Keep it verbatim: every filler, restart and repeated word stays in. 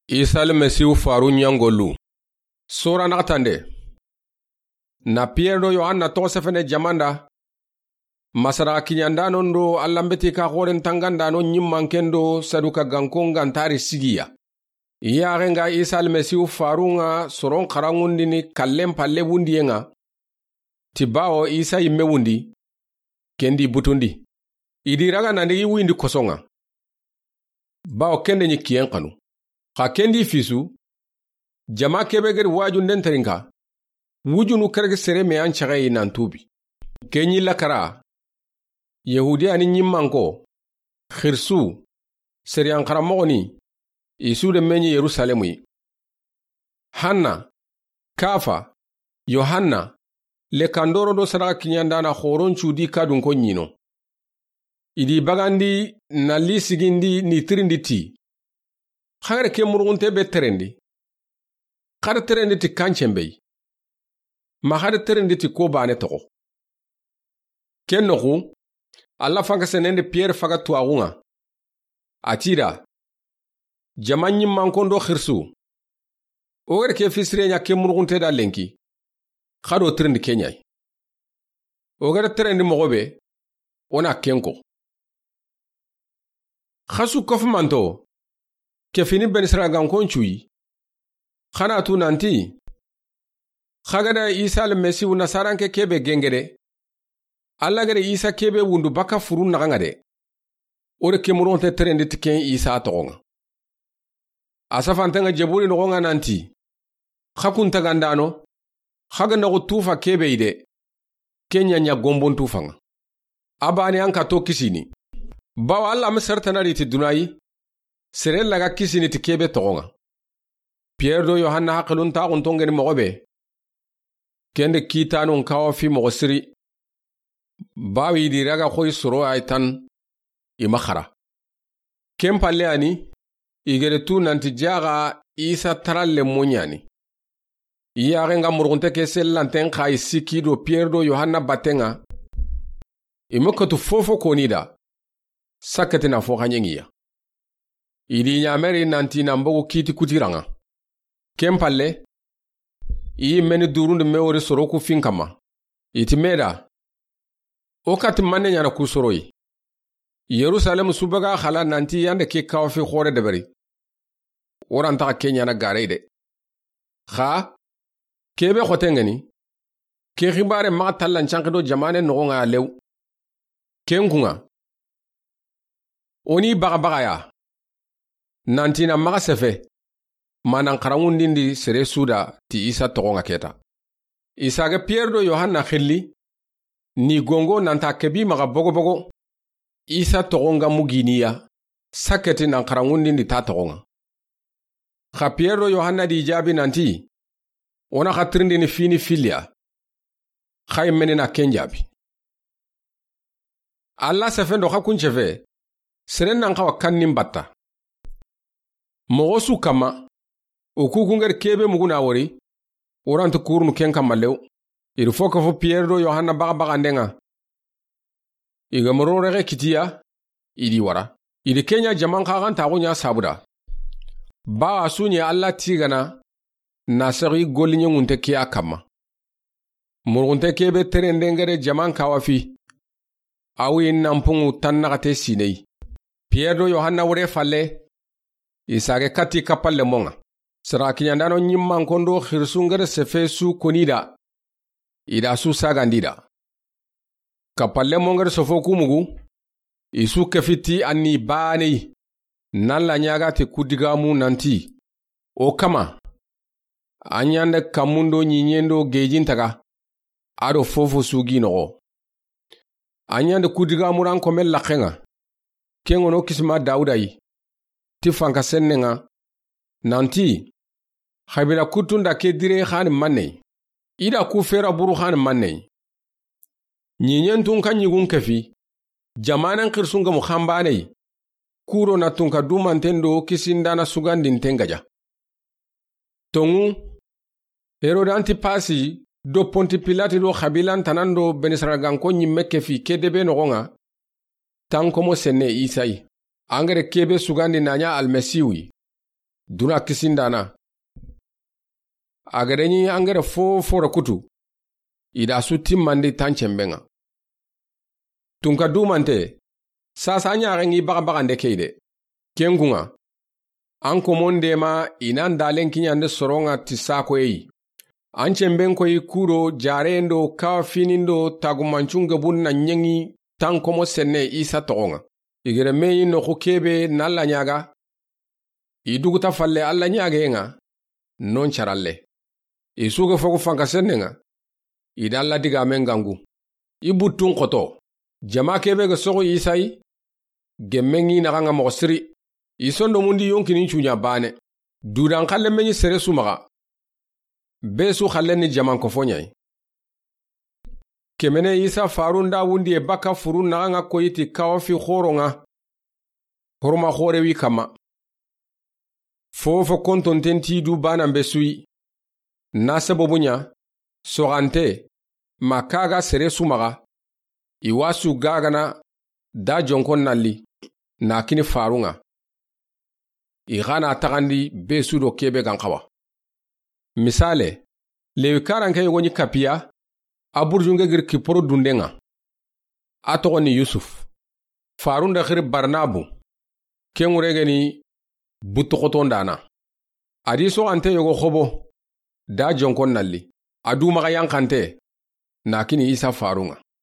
Isa Almasihu faru ɲangolu. Sora naxatande. Na Piyere do Yohanna toxo sefene jamanda. Masara kiɲandanon do Allanbeti ka xoren tangandano ɲimmanken do Saduka gankon gantari sigiya. I yaxe nga Isa Almasihu farun ŋa soron xaranŋundini kallen palle wundiyen ŋa. Ti bawo Isa yimme wundi, kendi butundi. I di raga nandigi wuyindi koson ŋa. Bawo kende ɲi kiyen xanu. Xa kendi fisu, jama kebe gedi wajunden terinka, wujunu keregi sere me an caxeyi nan tubi. Ke ɲi lakara, Yahudiya ni ɲimmanko, xirsu, seriyan xaranmoxoni, i su de me ɲi Yerusalemu yi. Hanna, Kafa, Yohanna, lekandoro do sadaxa kiɲandana xoron cudi kadunko ɲino. I di bagandi na li sigindi ni tirindi ti. Xagare ke murugunte be terendi. Xada terendi ti kancen be yi. Ma xada terendi ti ko bane toxo. Ken noxu, Alla fanka senende Piyere faga tuwaxun ŋa. A ti da, jama ɲimmankon do xirsu. O gere ke fisire ɲa ke murugunte da lenki. Xado tirindi ke ɲayi. O gere terendi moxo be, o na kenko. Xasu kofumanto, ke fini benisira gankon cuyi. Xana tu nanti, xagada Isa Almasihu nasaranke kebe gengede. Alla gere Isa kebe wundu baka furun naxan ŋa de. O de ke murugunte terendi ti ken Isa toxon ŋa. A safanten ŋa jeburi noxon ŋa nanti. Xa kun tagandano. Xa ga noxu tufa kebe yi de. Ke ɲa ɲa gombon tufan ŋa. A bane an ka to kisini. Bawo Alla ma sartana ri ti dunayi. Sere laga kisini ti kebe toxon ŋa. Piyere do Yohanna haqilun taxun tongeni moxo be. Kende kitanun kawa fi moxo siri. Bawo i di raga xoyi soro ay tan. I ma xara. Ken palle ani, i gere tu nanti jaxa Isa taralle moɲani. I yaxe nga murugunte ke sellanten xa i sikki do Piyere do Yohanna batten ŋa. I ma katu fofo koni da. Sakketi na fo xaɲengiya. I di ɲameri nanti na mbogu kiti kutiran ŋa. Ken palle, i meni durundi me wori soro ku fin kamma. I ti me da. O kati manne ɲana ku soroyi. Yerusalemu subaga xala nanti yande ke kawa fi xore deberi. O rantaxa ke ɲana garey de. Xa, kebe xoten ŋeni, ke xibare maxa tallan canxi do jamane noxon ŋa lew. Ken kun ŋa. O ni baxa baxa ya. Nanti na maxa sefe. Ma nan xaranŋundindi sere su da ti Isa toxon ŋa keta. Isa ga Piyere do Yohanna xilli. Ni gongo nanta kebi maxa bogo bogo. Isa toxon ga muginiya. Sakketi nan xaranŋundindi ta toxon ŋa. Xa Piyere do Yohanna di jaabi nanti. O na xa tirindini fini filiya. Xa i meni na ken jaabi. Alla sefen do xa kun cefe. Seren nan xawa kannin batta. Moxo su kamma. O ku kun geri kebe mugu na wori. O ranti kurunu ken kamma lew. I ri fo kafo Piyere do Yohanna baxa baxanden ŋa. I ga moro rexe kitiya. I di wara. I di ke ɲa jaman xaxantaxu ɲa sabuda. Bawa su ɲi Alla tigana. Na sexi golliɲenŋunte kiya kamma. Murugunte kebe terenden gere jaman kawa fi. Awi nanpunŋu tannaxate sinei. Piyere do Yohanna wure falle. I sage kati kappalle monŋa. Sara kiɲandano ɲimmankon do xirisun gere sefe su koni da. I da su sagandi da. Kappalle mongere sofo kumugu. I su kefiti anni baneyi. Nan la ɲaga ti kudigamu nanti. O kama. A ɲande kammundo ɲiɲendo gejintaga. A do fofo sugi noxo. A ɲande kudigamuran komen laxenŋa. Ken ŋono kisima Dawuda yi. Ti fanka sennenŋa. Nanti. Xabila kuttunda ke dire xani mannei. I da ku fera buru xani mannei. Ɲiɲentun ka ɲigun kefi. Jamanen xirisun gamu xanbanei. Kuro na tunka dumanten do kisindana sugandinten gaja. Tonŋu. Herode Antipasi do Ponti Pilati do xabilan tanan do benisaraganko ɲimme kefi ke debe noxonŋa. Tankomo senne Isa yi. Angere kebe sugandi na ɲa Almasihu yi. Duna kisindaana. A ga da ɲi an ga da fo fo ra kutu, i da su timmandi tancenben ŋa. Tunka dumante, saasa ɲaxen ŋi baxa baxande ke yi de. Ken kun ŋa, an komon deema i nan dalen kiɲande soron ŋa ti sakoye yi. An cenben koyi ku do jareyen do kafinin do tagumancun gebun na ɲeŋi tan komo senne Isa toxon ŋa. I ga da me yi noxu kebe na Alla ɲaaga, i duguta falle Alla ɲaageyen ŋa, non caralle. I su ga fogu fanka sennen ŋa, i da Alla digaamen gangu. I buttun xoto. Jama kebe ga soxu Isa yi, gemmen ŋi naxan ŋa moxo siri. I sondomundi yonkinin cuɲa baane. Dudan xallen be ɲi sere su maxa. Be su xallen ni jaman kofo ɲa yi. Kemene Isa farun da wundiye baka furun naxan ŋa koyi ti kawafi xoron ŋa. Horma xore wi kanma. Fofo kontonten ti du banan be su yi. Na sababu ɲa, soxante, ma kaga sere su maxa, i wa su gagana da jonkon nalli, na kini farun ŋa. I xa na taxandi be su do kebe gan xawa. Misale, Lewi karanke yogo ɲi kapiya, a burjunge giri kiporo dunden ŋa. A toxo ni Yusuf. Farun da xiri Barnabu. Ken ŋure ga ni buttu xotondaana. A di soxante yogo xobo. Da jonkon nalli. A du maxa yanxante. Na kini Isa farun ŋa.